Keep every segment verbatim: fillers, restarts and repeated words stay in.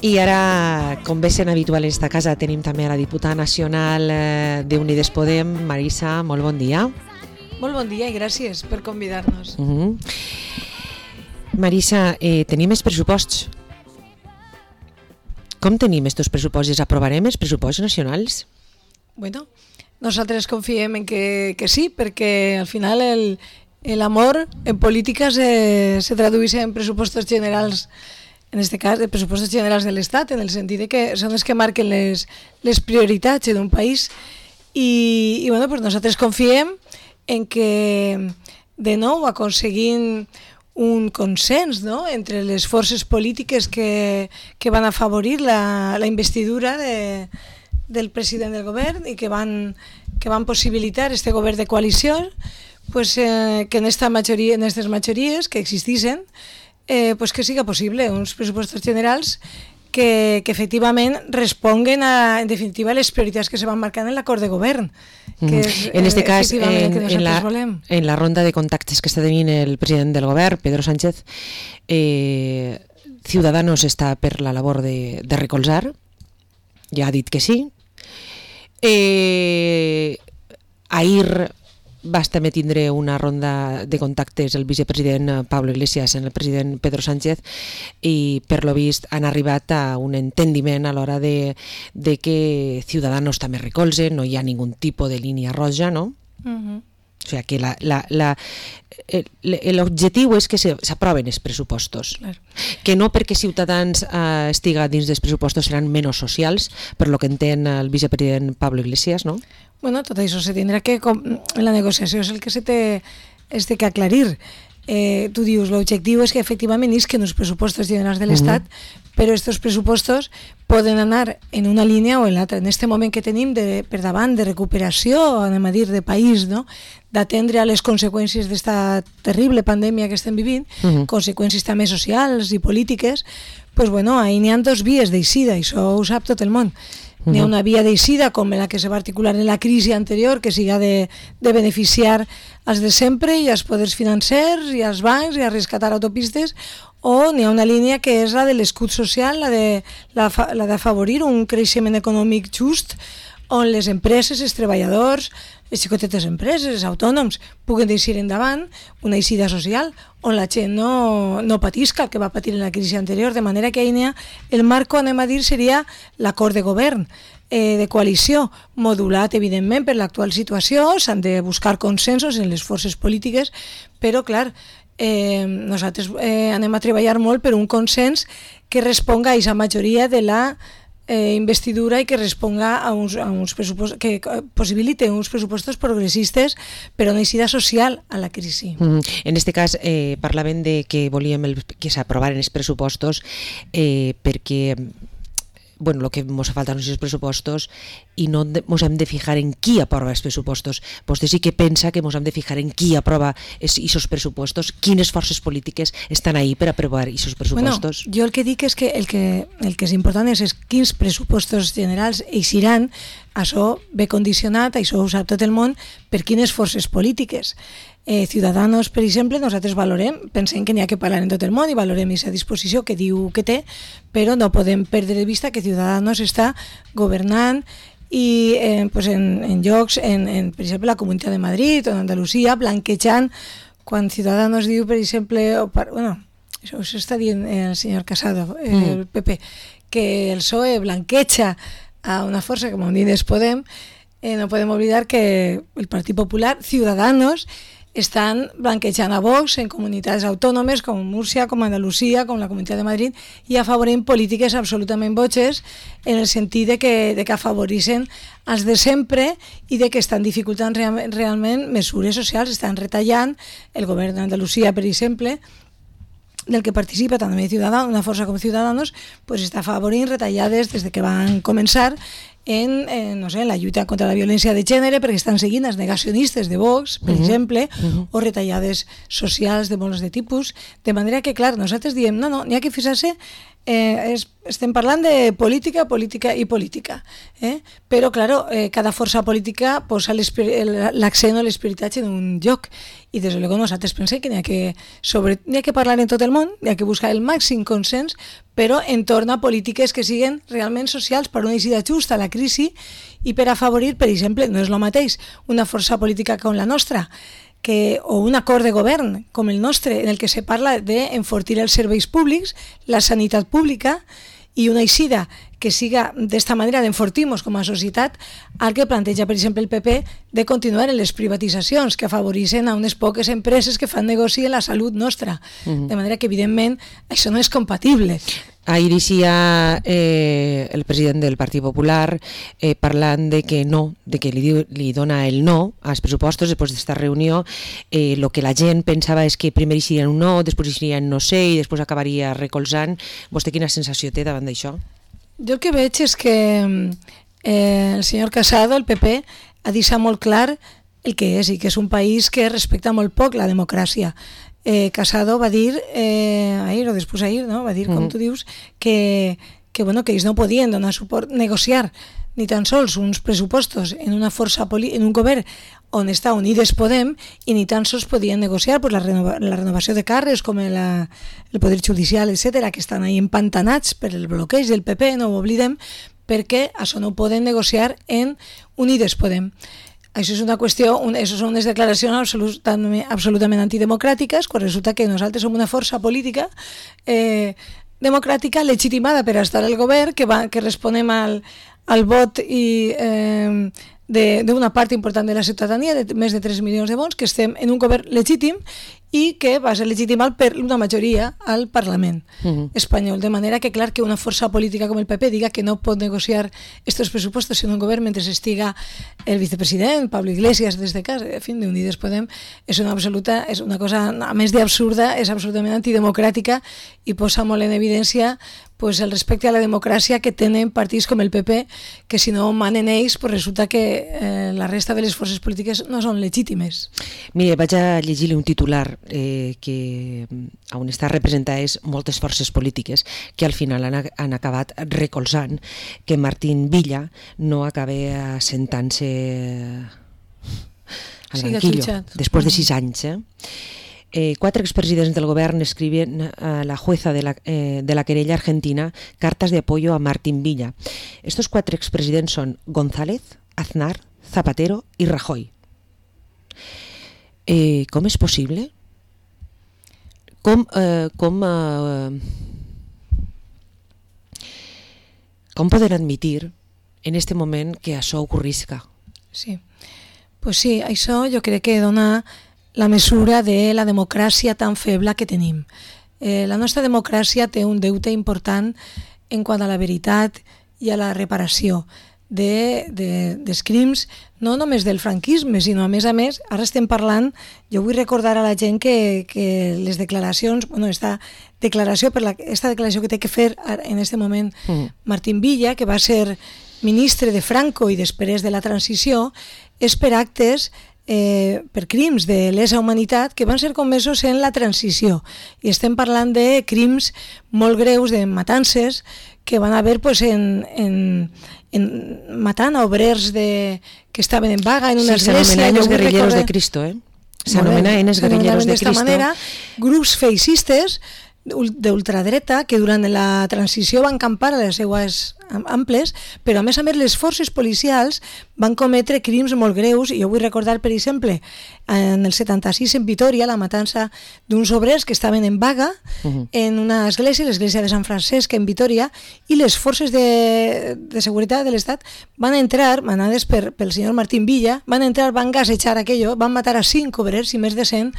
I ara, com bé sent habitual en esta casa, tenim també a la diputada nacional d'Unides Podem, Marisa, molt bon dia. Molt bon dia i gràcies per convidar-nos. Uh-huh. Marisa, eh, tenim els pressuposts. Com tenim estos pressupostos? Aprovarem els pressupostos nacionals? Bueno, nosaltres confiem en que, que sí, perquè al final el, el amor en política se, se tradueix en pressupostos generals, en este cas, de pressupostos generals de l'Estat, en el sentit de que són els que marquen les, les prioritats d'un país. I, i bueno, pues nosaltres confiem en que, de nou, aconseguint un consens, no?, entre les forces polítiques que, que van afavorir la, la investidura de, del president del govern i que van, que van possibilitar este govern de coalició, pues, eh, que en esta majoria, en aquestes majories que existissin, eh, pues que siga possible uns pressupostos generals que, que efectivament responguen a, en definitiva, les prioritats que se van marcant en l'acord de govern. Que és, en este eh, cas, en, que en, la, volem. en la ronda de contactes que està tenint el president del govern, Pedro Sánchez, eh, Ciudadanos està per la labor de, de recolzar, ja ha dit que sí. Eh, ahir vas també tindre una ronda de contactes el vicepresident Pablo Iglesias amb el president Pedro Sánchez i per lo vist han arribat a un entendiment a l'hora de, de que Ciudadanos també recolze, no hi ha ningú tipus de línia roja, no? Uh-huh. O sigui que la, la, la, l'objectiu és que s'aproven els pressupostos, claro. Que no perquè Ciutadans eh, estiga dins dels pressupostos seran menys socials, per lo que entén el vicepresident Pablo Iglesias, no? Bueno, tot això se tindrà que, com, en la negociació és el que se té, es té que aclarir. Eh, tu dius, l'objectiu és que efectivament isquen els pressupostos generals de l'Estat, uh-huh. però aquests pressupostos poden anar en una línia o en l'altra. En aquest moment que tenim de, per davant de recuperació, anem a dir, de país, no?, d'atendre a les conseqüències d'esta terrible pandèmia que estem vivint, uh-huh. conseqüències també socials i polítiques, pues bueno, ahí n'hi ha dos vies d'eixida, i això ho sap tot el món. N'hi ha una via d'eixida com la que se va articular en la crisi anterior, que siga de, de beneficiar als de sempre i als poders financers i als bancs i a rescatar autopistes, o n'hi ha una línia que és la de l'escut social, la de la, la d'afavorir un creixement econòmic just on les empreses, els treballadors, les xicotetes empreses, els autònoms puguen deixar endavant una eixida social on la gent no, no patisca el que va patir en la crisi anterior, de manera que ahir el marco, anem a dir, seria l'acord de govern, eh, de coalició, modulat evidentment per l'actual situació, s'han de buscar consensos en les forces polítiques, però clar, eh, nosaltres eh, anem a treballar molt per un consens que responga a aquesta majoria de la Eh, investidura i que responga a uns, a uns pressupostos, que possibilite uns pressupostos progressistes però una eixida social a la crisi. Mm, en este cas eh, parlaven de que volíem el, que s'aprovaren els pressupostos eh, perquè bueno, lo que ens falta són els pressupostos i no ens hem de fijar en qui aprova els pressupostos. Vostè sí que pensa que ens hem de fijar en qui aprova aquests pressupostos, quines forces polítiques estan ahí per aprovar aquests pressupostos. Bueno, jo el que dic és que el que, el que és important és, és quins pressupostos generals eixiran, això ve condicionat, això ho sap tot el món, per quines forces polítiques. Eh, Ciudadanos, per exemple, nosaltres valorem, pensem que n'hi ha que parlar en tot el món i valorem aquesta disposició que diu que té, però no podem perdre de vista que Ciudadanos està governant i eh, pues en, en llocs, en, en, per exemple, la Comunitat de Madrid o en Andalusia, blanquejant, quan Ciudadanos diu, per exemple, o par, bueno, això, això està dient el senyor Casado, eh, mm. el P P, que el P S O E blanqueja a una força com Unides Podem, eh, no podem oblidar que el Partit Popular, Ciudadanos, estan blanquejant a Vox en comunitats autònomes com Múrcia, com Andalusia, com la Comunitat de Madrid i afavorint polítiques absolutament boges en el sentit de que, de que afavoreixen els de sempre i de que estan dificultant real, realment mesures socials, estan retallant el govern d'Andalusia, per exemple, del que participa també Ciudadanos, una força com Ciudadanos, pues està afavorint retallades des de que van començar en, en, no sé, en la lluita contra la violència de gènere, perquè estan seguint els negacionistes de Vox, per uh-huh. exemple, uh-huh. o retallades socials de molts de tipus, de manera que, clar, nosaltres diem, no, no, n'hi ha que fixar-se, eh, es, estem parlant de política, política i política, eh? però, clar, eh, cada força política posa l'accent o l'espiritatge en un lloc, i des de luego nosaltres pensem que n'hi ha que, sobre, n'hi ha que parlar en tot el món, n'hi ha que buscar el màxim consens, però entorn a polítiques que siguin realment socials per una eixida justa a la crisi i per afavorir, per exemple, no és el mateix una força política com la nostra, que, o un acord de govern com el nostre, en el que se parla d'enfortir els serveis públics, la sanitat pública, i una eixida que siga d'esta manera d'enfortir-nos com a societat, al que planteja, per exemple, el P P de continuar en les privatitzacions que afavoreixen a unes poques empreses que fan negoci en la salut nostra. Uh-huh. De manera que, evidentment, això no és compatible. Ahir eixia eh, el president del Partit Popular eh, parlant de que no, de que li, li dona el no als pressupostos després d'esta reunió. Eh, lo que la gent pensava és que primer eixirien un no, després eixirien no sé i després acabaria recolzant. Vostè quina sensació té davant d'això? Jo el que veig és que eh, el senyor Casado, el P P, ha deixat molt clar el que és i que és un país que respecta molt poc la democràcia. Eh, Casado va dir, eh, ahir o després ahir, no? va dir, com mm. tu dius, que, que, bueno, que ells no podien donar suport, negociar ni tan sols uns pressupostos en una força poli- en un govern on està Unides Podem i ni tan sols podien negociar pues, la, renova- la renovació de càrrecs com el, el Poder Judicial, etcètera, que estan ahí empantanats per el bloqueig del P P, no ho oblidem, perquè això no ho poden negociar en Unides Podem. Això és una qüestió, un, això són unes declaracions absolutament, absolutament antidemocràtiques, quan resulta que nosaltres som una força política eh, democràtica legitimada per estar al govern, que, va, que responem al, al vot i, eh, d'una part important de la ciutadania, de més de tres milions de vots, que estem en un govern legítim i que va ser legitimat per una majoria al Parlament uh-huh. espanyol. De manera que, clar, que una força política com el P P diga que no pot negociar estos pressupostos en un govern mentre estiga el vicepresident, Pablo Iglesias, des de casa, en fi, d'Unides Podem, és una absoluta, és una cosa, a més d'absurda, és absolutament antidemocràtica i posa molt en evidència pues, el respecte a la democràcia que tenen partits com el P P, que si no manen ells, pues resulta que eh, la resta de les forces polítiques no són legítimes. Mire, vaig a llegir-li un titular eh, que on està representades moltes forces polítiques que al final han, han acabat recolzant que Martín Villa no acabi assentant-se al sí, banquillo després de sis anys. Eh? Eh, quatre expresidents del govern escriben a la jueza de la, eh, de la querella argentina cartas de apoyo a Martín Villa. Estos cuatro expresidents son González, Aznar, Zapatero y Rajoy. Eh, com és possible? Com, eh, com, eh, com poden admitir en este moment que això ocorrisca? Sí, pues sí, això jo crec que dona la mesura de la democràcia tan feble que tenim. Eh, la nostra democràcia té un deute important en quant a la veritat i a la reparació de, de, dels crims, no només del franquisme, sinó a més a més, ara estem parlant, jo vull recordar a la gent que, que les declaracions, bueno, esta declaració, per la, esta declaració que té que fer en aquest moment mm. Martín Villa, que va ser ministre de Franco i després de la transició, és per actes Eh, per crims de lesa humanitat que van ser comesos en la transició i estem parlant de crims molt greus, de matances que van haver pues, en, en, en matant a obrers de, que estaven en vaga en una sí, església. S'anomenen els guerrilleros de Cristo, eh? S'anomenen els guerrilleros de Cristo. Manera, grups feixistes d'ultradreta que durant la transició van campar a les seues amples, però a més a més les forces policials van cometre crims molt greus, i jo vull recordar, per exemple, en el setanta-sis en Vitòria, la matança d'uns obrers que estaven en vaga uh-huh. en una església, l'església de Sant Francesc en Vitòria, i les forces de, de seguretat de l'Estat van entrar, manades per, pel senyor Martín Villa, van entrar, van gasejar aquello, van matar a cinc obrers i més de cent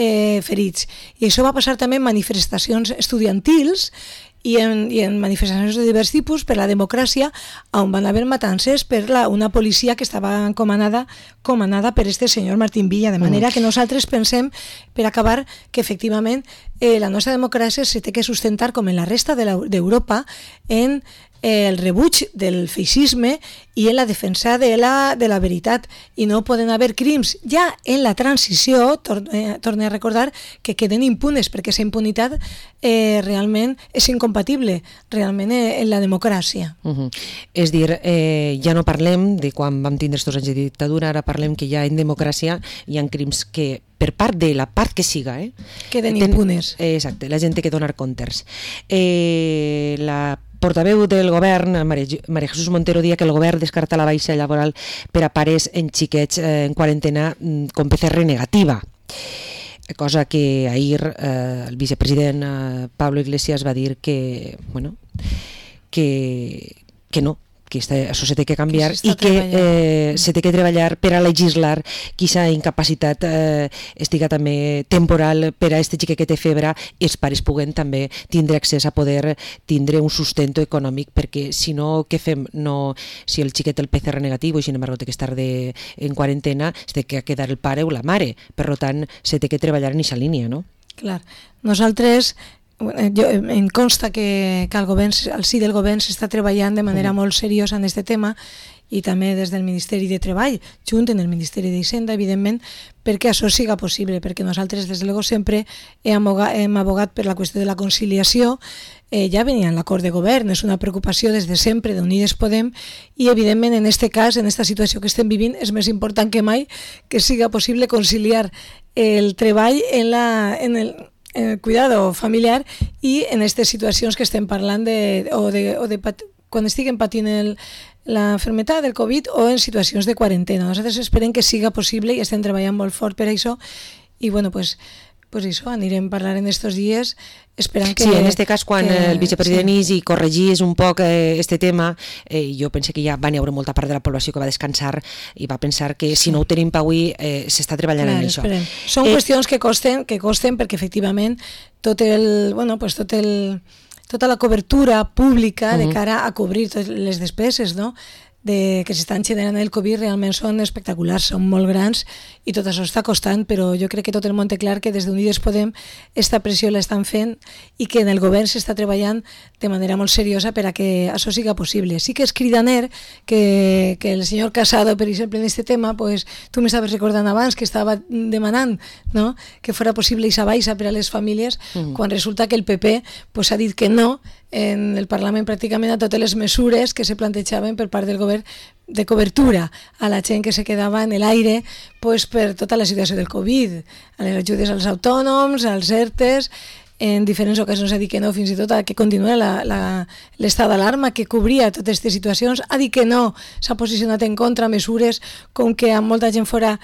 Eh, ferits. I això va passar també en manifestacions estudiantils i en, i en manifestacions de divers tipus per la democràcia, on van haver matances per la, una policia que estava comandada, comandada per este senyor Martín Villa, de manera que nosaltres pensem, per acabar, que efectivament eh, la nostra democràcia se té que sustentar, com en la resta d'Europa, en eh, el rebuig del feixisme i en la defensa de la, de la veritat, i no poden haver crims ja en la transició, torne, torne a recordar, que queden impunes, perquè aquesta impunitat eh, realment és incompatible realment en la democràcia. Uh-huh. És dir, eh, ja no parlem de quan vam tindre estos anys de dictadura, ara parlem que ja en democràcia hi ha crims que per part de la part que siga, eh, queden impunes. Ten, eh, exacte, la gent té que donar comptes. Eh, la portaveu del govern, Maria Jesús Montero, dia que el govern descarta la baixa laboral per a pares en xiquets eh, en quarantena com P C R negativa, cosa que ahir eh, el vicepresident eh, Pablo Iglesias va dir que, bueno, que, que no, que això se té que canviar i que eh, se té que treballar per a legislar que aquesta incapacitat eh, estiga també temporal per a este xiquet que té febre i els pares puguen també tindre accés a poder tindre un sustento econòmic, perquè si no, què fem? No, si el xiquet té el P C R negatiu i sin embargo té que estar de, en quarantena, es té que quedar el pare o la mare, per tant se té que treballar en aquesta línia, no? Clar, nosaltres jo, em consta que, que el, govern, el sí del govern s'està treballant de manera molt seriosa en aquest tema i també des del Ministeri de Treball, junt en el Ministeri d'Hisenda, evidentment, perquè això siga possible, perquè nosaltres, des de luego, sempre hem abogat, hem abogat per la qüestió de la conciliació. Eh, ja venia en l'acord de govern, és una preocupació des de sempre d'Unides Podem i, evidentment, en aquest cas, en aquesta situació que estem vivint, és més important que mai que siga possible conciliar el treball en, la, en el el cuidado familiar i en aquestes situacions que estem parlant de, o de, o de pat, quan estiguen patint el, la enfermedad del Covid o en situacions de quarantena. Nosaltres esperem que siga possible i estem treballant molt fort per això i bueno, pues, pues això, anirem a parlar en estos dies esperant que... Sí, en este cas, quan que, el vicepresident sí. i corregís un poc eh, este tema, eh, jo penso que ja va n'hi haure molta part de la població que va descansar i va pensar que si no ho tenim per avui eh, s'està treballant Clar, en això. Esperem. Són eh, qüestions que costen, que costen perquè efectivament tot el, bueno, pues tot el, tota la cobertura pública uh-huh. de cara a cobrir totes les despeses, no?, de, que s'estan generant el Covid realment són espectaculars, són molt grans i tot això està costant, però jo crec que tot el món té clar que des d'Unides Podem esta pressió l'estan fent i que en el govern s'està treballant de manera molt seriosa per a que això siga possible. Sí que és cridaner que, que el senyor Casado, per exemple, en aquest tema, pues, tu m'estaves recordant abans que estava demanant, no?, que fora possible aquesta baixa per a les famílies, mm. quan resulta que el P P pues, ha dit que no en el Parlament pràcticament a totes les mesures que se plantejaven per part del govern de cobertura a la gent que se quedava en l'aire pues, per tota la situació del Covid, a les ajudes als autònoms, als ERTEs, en diferents ocasions ha dit que no, fins i tot a que continua l'estat d'alarma que cobria totes aquestes situacions, ha dit que no, s'ha posicionat en contra mesures com que amb molta gent fora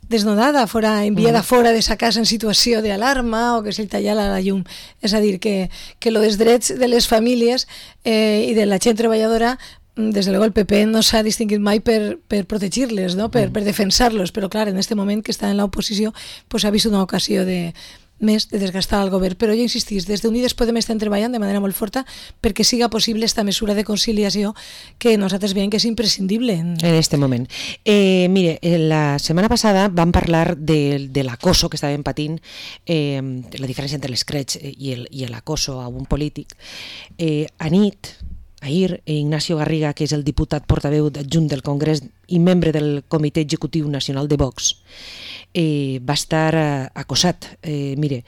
desnodada, fora enviada mm. fora de sa casa en situació d'alarma o que se li tallara la llum. És a dir, que, que lo dels drets de les famílies eh, i de la gent treballadora, des de luego el P P no s'ha distingit mai per, per protegir-les, no? per, per defensar-los, però clar, en aquest moment que està en l'oposició pues, ha vist una ocasió de més de desgastar el govern, però jo insistís, des d'Unides Podem estem treballant de manera molt forta perquè siga possible esta mesura de conciliació que nosaltres veiem que és imprescindible en aquest moment. Eh, mire, la setmana passada vam parlar de, de l'acoso que estàvem patint, eh, la diferència entre l'escreig i el, i l'acoso a un polític. Eh, a nit, ahir, Ignacio Garriga, que és el diputat portaveu adjunt del Congrés i membre del Comitè Executiu Nacional de Vox, Eh, va estar eh, acosat. Eh, mire,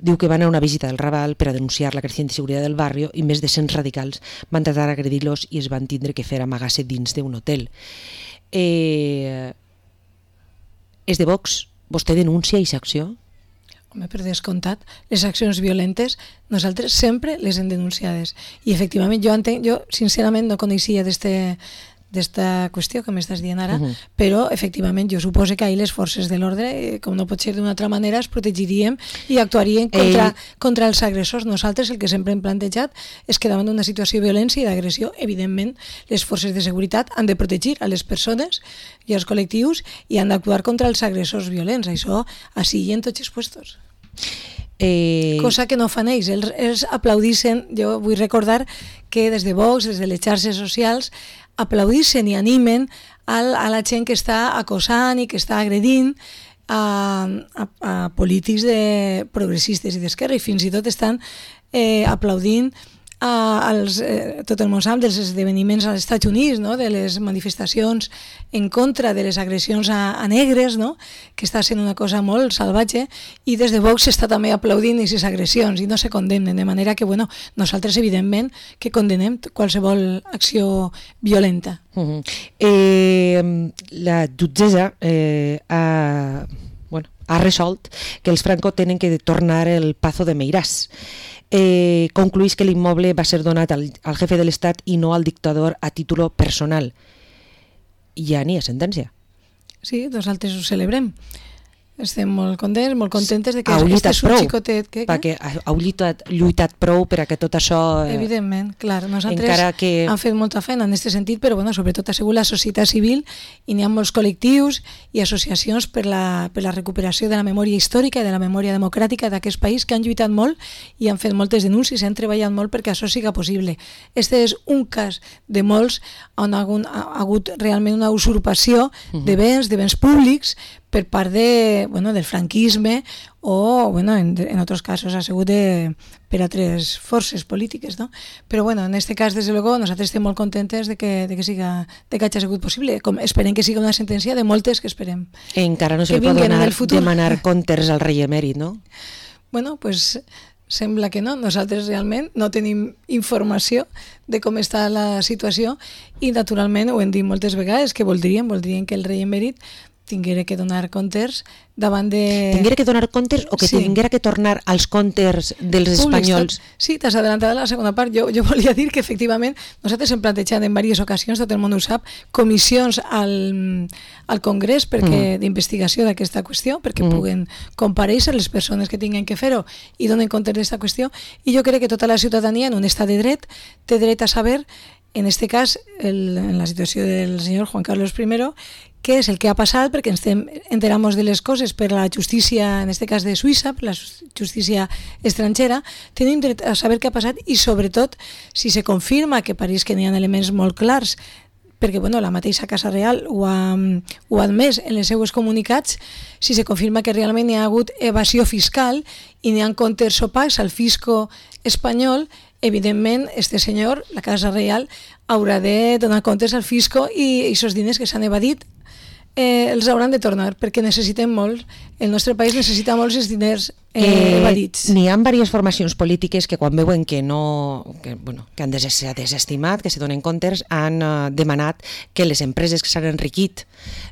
diu que va anar a una visita del Raval per a denunciar la creciente seguridad del barrio i més de cent radicals van tratar d'agredir-los i es van tindre que fer amagar-se dins d'un hotel. Eh, és de Vox? Vostè denuncia aquesta acció? Home, per descomptat, les accions violentes nosaltres sempre les hem denunciades i efectivament jo entenc, jo sincerament no coneixia d'este d'esta qüestió que m'estàs dient ara, uh-huh. però efectivament jo suposo que ahir les forces de l'ordre, com no pot ser d'una altra manera, es protegiríem i actuaríem contra, Ell... contra els agressors. Nosaltres el que sempre hem plantejat és que davant d'una situació de violència i d'agressió, evidentment, les forces de seguretat han de protegir a les persones i als col·lectius i han d'actuar contra els agressors violents. Això així i en tots els puestos. Eh... Cosa que no fan ells. Ells, ells aplaudissin, jo vull recordar que des de Vox, des de les xarxes socials, aplaudissin i animen a, a la gent que està acosant i que està agredint a, a, a polítics de progressistes i d'esquerra i fins i tot estan eh, aplaudint als, eh, tot el món sap dels esdeveniments als Estats Units, no? De les manifestacions en contra de les agressions a, a negres, no? Que està sent una cosa molt salvatge, i des de Vox s'està també aplaudint aquestes agressions i no se condemnen, de manera que bueno, nosaltres evidentment que condenem qualsevol acció violenta. Uh-huh. eh, la jutgessa eh, ha, bueno, ha resolt que els Franco tenen que tornar el Pazo de Meirás. Eh, concluís que l'immoble va ser donat al, al jefe de l'Estat i no al dictador a títol personal. Ja n'hi ha sentència. Sí, nosaltres ho celebrem. Estem molt contents, molt contentes de que heu este és un prou, xicotet... Que, perquè heu lluitat, lluitat prou per a que tot això... Eh, Evidentment, clar. Nosaltres encara que... hem fet molta feina en aquest sentit, però bueno, sobretot ha sigut la societat civil, i n'hi ha molts col·lectius i associacions per la, per la recuperació de la memòria històrica i de la memòria democràtica d'aquest país, que han lluitat molt i han fet moltes denúncies i han treballat molt perquè això siga possible. Este és un cas de molts on ha hagut, ha hagut realment una usurpació de béns, de béns públics, per part de, bueno, del franquisme o, bueno, en, en altres casos ha sigut de, per altres forces polítiques, no? Però bueno, en este cas, des de luego, nosaltres estem molt contentes de que, de que, siga, de que hagi sigut possible. Com, esperem que siga una sentència de moltes que esperem. Encara no se li pot donar, demanar comptes al rei emèrit, no? Bueno, pues sembla que no. Nosaltres realment no tenim informació de com està la situació i naturalment ho hem dit moltes vegades que voldríem, voldríem que el rei emèrit tinguera que donar comptes davant de... Tinguera que donar comptes o que sí. Tinguera que tornar als comptes dels espanyols? Sí, t'has adelantat a la segona part. Jo, jo volia dir que efectivament nosaltres hem plantejat en diverses ocasions, tot el món ho sap, comissions al, al Congrés perquè mm. d'investigació d'aquesta qüestió, perquè mm. puguen comparèixer les persones que tinguin que fer-ho i donen comptes d'aquesta qüestió, i jo crec que tota la ciutadania en un estat de dret té dret a saber, en este cas, el, en la situació del senyor Juan Carlos primero, què és el que ha passat, perquè ens enteramos de les coses per la justícia, en este cas de Suïssa, per la justícia estrangera, tenim dret a saber què ha passat i sobretot si se confirma que pareix que n'hi ha elements molt clars, perquè bueno, la mateixa Casa Real ho ha, ho ha admès en les seues comunicats, si se confirma que realment hi ha hagut evasió fiscal i n'hi ha comptes opacs al fisco espanyol, evidentment, este senyor, la Casa Real, haurà de donar comptes al fisco i aquests diners que s'han evadit eh, els hauran de tornar, perquè necessitem molt, el nostre país necessita molts els diners eh, eh, evadits. N'hi ha diverses formacions polítiques que quan veuen que no que, bueno, que han des desestimat, que se donen comptes, han uh, demanat que les empreses que s'han enriquit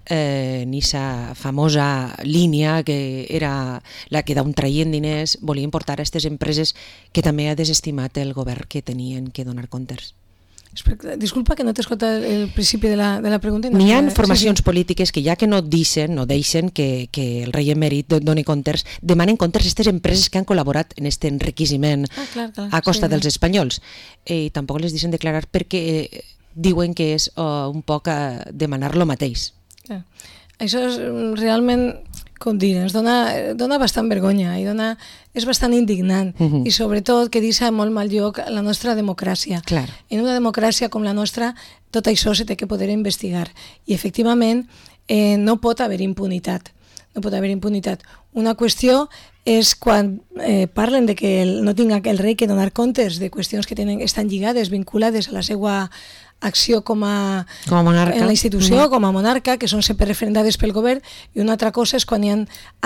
eh, en aquesta famosa línia que era la que d'on traien diners, volien portar a aquestes empreses que també ha desestimat el govern que tenien que donar comptes. Disculpa que no t'he escoltat el principi de la, de la pregunta. N'hi ha formacions sí, sí. polítiques que ja que no deixen, no deixen que, que el rei emèrit doni comptes, demanen comptes a aquestes empreses que han col·laborat en aquest enriquiment ah, clar, clar, a costa sí, dels espanyols. I eh, tampoc les deixen declarar perquè eh, diuen que és uh, un poc a demanar lo mateix. Clar. Això és realment, com dir, ens dona, dona bastant vergonya i dona, és bastant indignant uh-huh. i sobretot que deixa molt mal lloc la nostra democràcia. Clar. En una democràcia com la nostra tot això se té que poder investigar i efectivament eh, no pot haver impunitat. No pot haver impunitat. Una qüestió és quan eh, parlen de que el, no tinga el rei que donar comptes de qüestions que tenen, estan lligades, vinculades a la seva acció com a, com a monarca. En la institució, com a monarca, que són sempre referendades pel govern, i una altra cosa és quan hi ha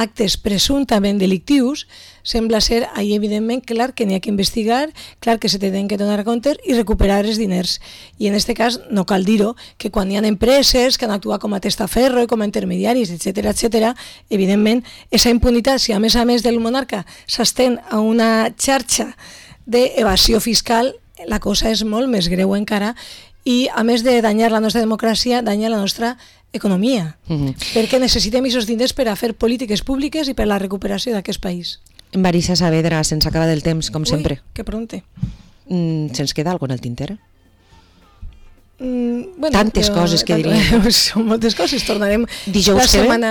actes presumptament delictius, sembla ser ahí evidentment clar que n'hi ha que investigar, clar que se tenen que donar comptes i recuperar els diners. I en aquest cas no cal dir-ho, que quan hi ha empreses que han actuat com a testaferro i com a intermediaris, etcètera, etcètera, evidentment, aquesta impunitat, si a més a més del monarca s'estén a una xarxa d'evasió fiscal, la cosa és molt més greu encara i a més de danyar la nostra democràcia, danya la nostra economia, uh-huh. perquè necessitem aquests diners per a fer polítiques públiques i per a la recuperació d'aquest país. Marisa Saavedra, se'ns acaba del temps, com Ui, sempre. Que pregunte. Mm, se'ns queda alguna cosa en el tinter? Mm, bueno, tantes jo, coses que diríem. Són moltes coses, tornarem Dijous la que setmana,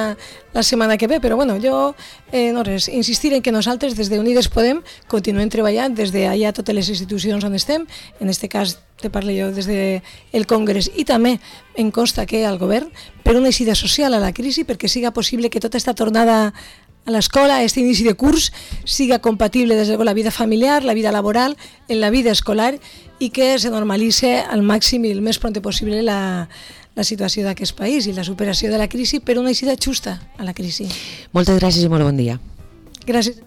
la setmana que ve, però bueno, jo eh, no res, insistir en que nosaltres des de Unides Podem continuem treballant des d'allà totes les institucions on estem, en este cas te parlo jo des del Congrés i també em consta que al govern per una eixida social a la crisi perquè siga possible que tota aquesta tornada a l'escola, aquest inici de curs, siga compatible des de la vida familiar, la vida laboral, en la vida escolar, i que se normalitzi al màxim i el més pront possible la, la situació d'aquest país i la superació de la crisi per una eixida justa a la crisi. Moltes gràcies i molt bon dia. Gràcies.